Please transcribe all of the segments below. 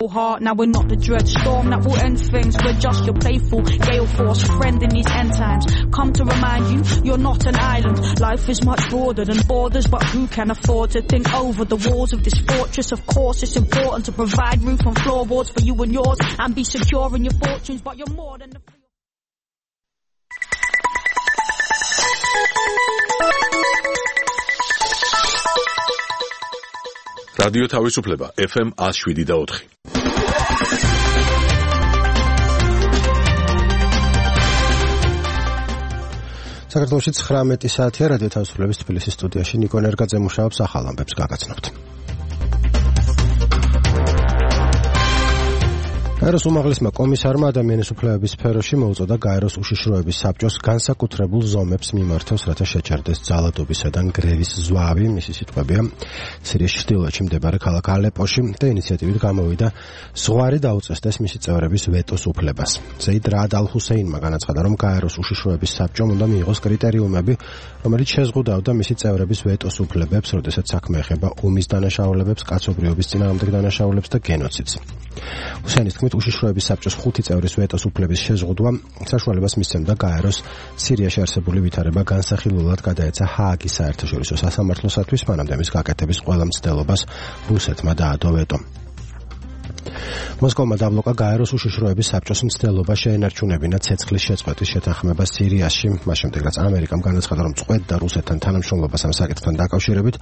Heart. Now we're not the dread storm that will end things. We're just your playful gale force friend in these end times. Come to remind you, you're not an island. Life is much broader than borders, but who can afford to think over the walls of this fortress? Of course, it's important to provide roof and floorboards for you and yours, and be secure in your fortunes. But you're more than the. რადიო თავისუფლება FM 107.4. საქართველოში 19 საათია რადიო თავისუფლების თბილისის სტუდიაში ნიკო ნერგაძე მუშაობს ახალ ამბებს გაგაცნობთ. გაეროს უმაღლესმა კომისარმა ადამიანის უფლებების სფეროში მოუწოდა გაეროს უშიშროების საბჭოს განსაკუთრებულ ზომებს მიმართოს, რათა შეჩერდეს ძალადობისადან გრევის ზვავი. მისი სიტყვებია, სირიის ჩრდილოეთში მდებარე ქალაქ ალეპოში და ინიციატივით გამოვიდა ზღვარი დაუწესდეს მისი წევრების ვეტოს უფლებას. ზეიდ რაად ალ-ჰუსეინმა განაცხადა, რომ გაეროს უშიშროების საბჭომ უნდა მიიღოს კრიტერიუმები, რომელიც შეზღუდავდა მისი წევრების ვეტოს უფლებებს, როდესაც საქმე ეხება ომის დანაშაულებებს, კაცობრიობის წინააღმდეგ დანაშაულებს და გენოციდს. ჰუსეინის თქმით, უშიშროების საბჭოს 5 წევრის ვეტოს უფლების შეზღუდვა საშუალებას მისცემდა გაეროს სირიაში არსებული ვითარება განსახილველად გადაეცა ჰააგის საერთაშორისო სასამართლოსათვის, მანამდე მის გაკეთების ყველა მცდელობას რუსეთმა დაადო ვეტო. მოსკოვმა დაბლოკა გაეროს უშიშროების საბჭოს მცდელობა შეენარჩუნებინა ცეცხლის შეწყვეტის შეთანხმება სირიაში. მას შემდეგ, რაც ამერიკამ განაცხადა, რომ წყვეტდა რუსეთთან თანამშრომლობას ამ საკითხთან დაკავშირებით,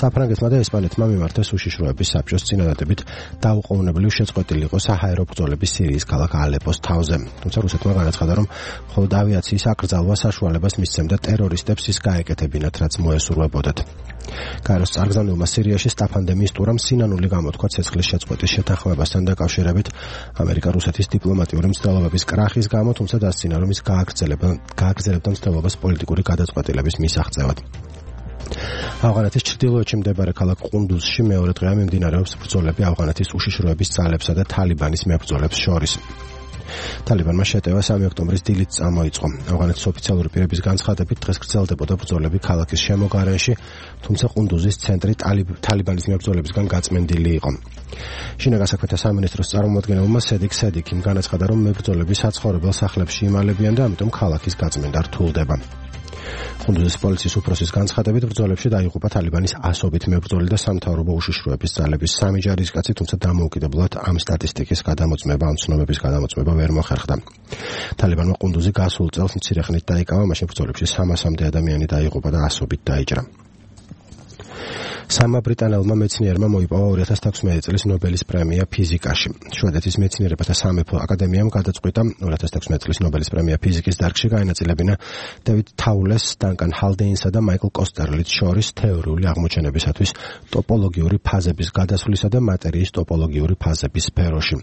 საფრანგეთმა და ესპანეთმა მიმართეს უშიშროების საბჭოს წინადადებით დაუყოვნებლივ შეწყვეტილი იყო საჰაერო ბრძოლები სირიის ქალაქ ალეპოს თავზე. თუმცა რუსეთმა განაცხადა, რომ მხოლოდ ავიაციის აკრძალვა საშუალებას მისცემდა ტერორისტებს ის გაეკეთებინათ, რაც მოესურვებოდათ. გაეროს წარგზავნილმა სირიაში სტაფანდემიის ტურამ სინანული გამოთქვა ცეცხლის შეწყვეტის შეთანხმებასთან დაკავშირებით ამერიკა-რუსეთის დიპლომატიური მცდელობების კრახის გამო, თუმცა დასცინა, რომ ის გააგრძელებდა მცდელობას პოლიტიკური გადაწყვეტილების მისაღწევად. ავღანეთის ჩრდილოეთში მდებარე ქალაქ ყუნდუზში მეორე დღეა მიმდინარეობს ბრძოლები ავღანეთის უშიშროების ძალებსა და თალიბანის მებრძოლებს შორის. თალიბანმა შეტევა 3 ოქტომბრის დილით წამოიწყო. ავღანეთის ოფიციალური პირების განცხადებით, დღეს გრძელდებოდა ბრძოლები ქალაქის შემოგარენში, თუმცა ყუნდუზის ცენტრი თალიბანის მებრძოლებისგან გაწმენდილი იყო. შინაგან საქმეთა სამინისტროს წარმომადგენელმა სედიკ სედიკიმ განაცხადა, რომ მებრძოლები საცხოვრებელ სახლებში იმალებიან და ამიტომ ქალაქის გაწმენდა რთულდება. ყუნდუზის პოლიციის უფროსის განცხადებით, ბრძოლებში დაიღუპა თალიბანის ასობით მებრძოლი და სამთავრობო უშიშროების ძალების 3 ჯარისკაცი, თუმცა დამოუკიდებლად ამ სტატისტიკის გადამოწმება, ამ ცნობების გადამოწმება ვერ მოხერხდა. თალიბანმა ყუნდუზი გასულ წელს მცირე ხნით დაიკავა, მაშინ ბრძოლებში 300-მდე ადამიანი დაიღუპა და ასობით დაიჭრა. სამმა ბრიტანელმა მეცნიერმა მოიპოვა 2016 წლის ნობელის პრემია ფიზიკაში. შვედეთის მეცნიერებათა სამეფო აკადემიამ გადაწყვიტა 2016 წლის ნობელის პრემია ფიზიკის დარგში გაენაწილებინა დევიდ თაულეს, დანკან ჰალდეინსა და მაიკლ კოსტერლიც შორის თეორიული აღმოჩენებისათვის ტოპოლოგიური ფაზების გადასვლისა და მატერიის ტოპოლოგიური ფაზების სფეროში.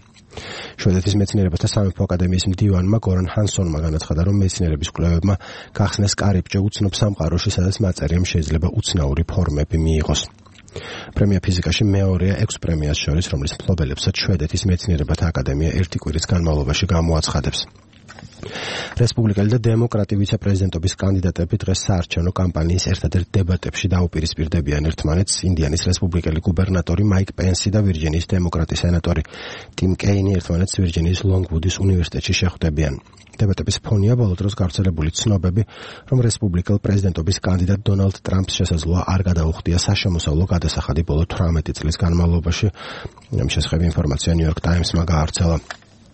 შვედეთის მეცნიერებათა სამეფო აკადემიის მდივანმა გორან ჰანსონმა განაცხადა, რომ მეცნიერების კვლევებმა გახსნეს კარიბჭე უცნობ სამყაროში, სადაც მატერიამ შეიძლება უცნაური ფორმები მიიღოს. პრემია ფიზიკაში მეორეა 6 პრემიას შორის, რომლის მფლობელებსაც შვედეთის მეცნიერებათა აკადემია ერთი კვირის განმავლობაში გამოაცხადებს. რესპუბლიკელი და დემოკრატი ვიცე-პრეზიდენტობის კანდიდატები დღეს საარჩევნო კამპანიის ერთადერთ დებატებში დაუპირისპირდებიან ერთმანეთს. ინდიანის რესპუბლიკელი გუბერნატორი მაიკ პენსი და ვირჯინიის დემოკრატი სენატორი ტიმ კეინი ერთმანეთს ვირჯინიის ლონგვუდის უნივერსიტეტში შეხვდებიან. დებატების ფონია ბოლო დროს გავრცელებული ცნობები, რომ რესპუბლიკელ პრეზიდენტობის კანდიდატ დონალდ ტრამპს შესაძლოა არ გადაუხდია საშემოსავლო გადასახადი ბოლო 18 წლის განმავლობაში. ამ შესახებ ინფორმაცია ნიუ-იორკ ტაიმსმა გაავრცელა.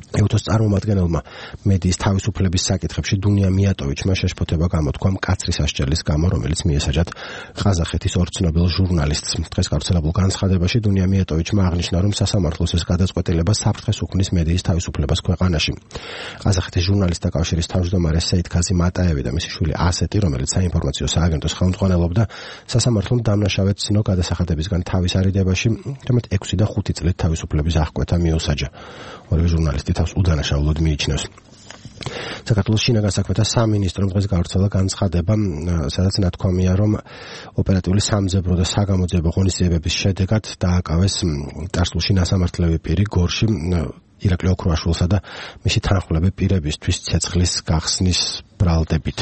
ეუთოს წარმომადგენელმა მედიის თავისუფლების საკითხებში დუნია მიატოვიჩმა შეშფოთება გამოთქვა მკაცრი სასჯელის გამო, რომელიც მიესაჯათ ყაზახეთის ორ ცნობილ ჟურნალისტს. დღეს გავრცელებულ განცხადებაში დუნია მიატოვიჩმა აღნიშნა, რომ სასამართლოს ეს გადაწყვეტილება საფრთხეს უქმნის მედიის თავისუფლებას ქვეყანაში. ყაზახეთის ჟურნალისტთა კავშირის თავმჯდომარე სეიდქაზი მატაევი და მისი შვილი ასეტი, რომელიც საინფორმაციო სააგენტოს ხელმძღვანელობდა, სასამართლომ დამნაშავედ ცნო გადასახადებისგან თავის არიდებაში, თუმცა 6 და 5 წლით თავისუფლების აღკვეთა მიუსაჯა. ორივე ჟურნალისტი თავს უდანაშაულოდ მიიჩნევს. საქართველოს შინაგან საქმეთა სამინისტრომ დღეს გავრცელა განცხადება, სადაც ნათქვამია, რომ ოპერატიული სამძებრო და საგამოძიებო ღონისძიებების შედეგად დააკავეს წარსულში ნასამართლები პირი გორში ირაკლი ოქროაშვილსა და მისი თანხმლები პირებისთვის ცეცხლის გახსნის ბრალდებით.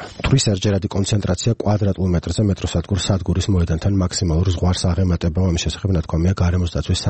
მტვრის ერჯერადი კონცენტრაცია კვადრატულ მეტრზე მეტროსადგურ სადგურის მოედანთან მაქსიმალურ ზღვარს აღემატება. ამის შესახებ ნათქვამია გარემოს დაცვის